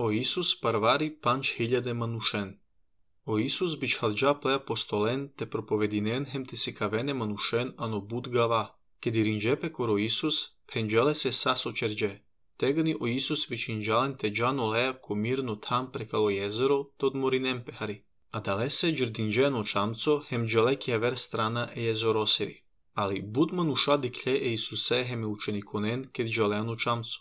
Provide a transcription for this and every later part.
O Isus parvari 5.000 manushen. O Isus bichhalja plea apostolen te propovединен hem te sikavene manushen ano bud gava, ke dirinjepe koro Isus penjale se saso čerđe. Tegani o Isus vičinjalen te džano lea komirno tam prekalo jezero tod morinem pehari. A dalese džrdinđeno čamco hem džalekija ver strana e jezorosiri. Ali bud manuša diklje e Isuse hem učenikonen ke džaleano čamco.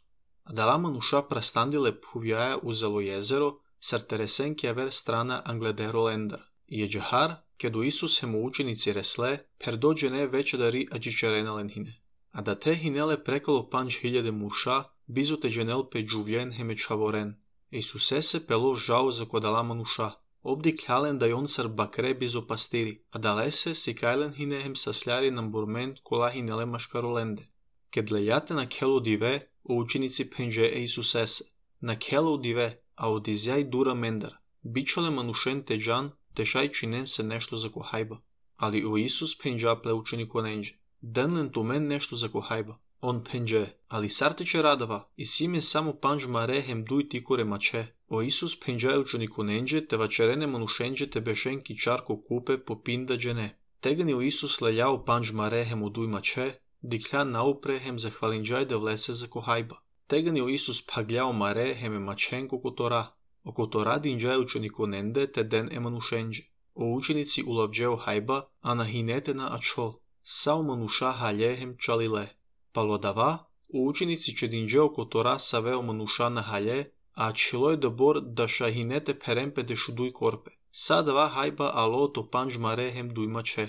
A dala manuša prastandile puvjaja uzelo jezero, sarteresen kja ver strana angledero lendar. Je džahar, ke do Isus hem učenici resle, per dođene večedari ađičarena lenhine. A da te hinele prekalo 5.000 muša, bizo te dženel pe džuvjen heme čavoren. Isuse se pelo žao za kodala manuša. Obdi kljalen da jon sar bakre bizo pastiri, a dalese si kajlen hine hem sasljari nam burment kola hinele maškarolende. Kad lejate na kelo dive, o učenici penže e Isusese. Na kelo dive, a odizjaj dura mendar. Bičale manušen te džan, te šaj činem se nešto za kohajba. Ali o Isus penđa ple učeniku nenđe. Denlen tu men nešto za kohajba. On penđe, ali sarteče radava, i sime samo panđ mare hem duj tikore mače. O Isus penđa učeniku nenđe, te vačerene manušenđe te bešenki čarko kupe po pinda džene. Tegani o Isus lejao panđ mare hem uduj mače, dikljan naupre hem zahvalinđaj da vlese za kohajba. Tegani o Isus pagljao mare hem mačenko kotora. O kotora dinđaj učeniku nende te den emanušenđe. O učenici ulavđeo hajba, a na hinete na ačol. Sao manuša halje hem čalile. Palodava, o učenici će dinđeo kotora saveo manuša na halje, a čilo je dobor da šahinete perempe de šuduj korpe. Sadava hajba alo to panđ mare hem duj mače.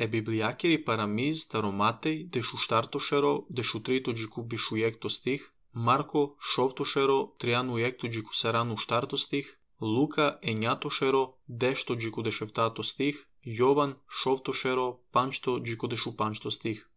E biblijakiri paramiz taromatej de šuštartošero de šutrito džiku bišujekto stih, Marko šovtošero trianu jekto džiku saranu štarto stih, Luka enjatošero dešto džiku deševtato stih, Jovan šovtošero pančto džiku dešu pančto stih.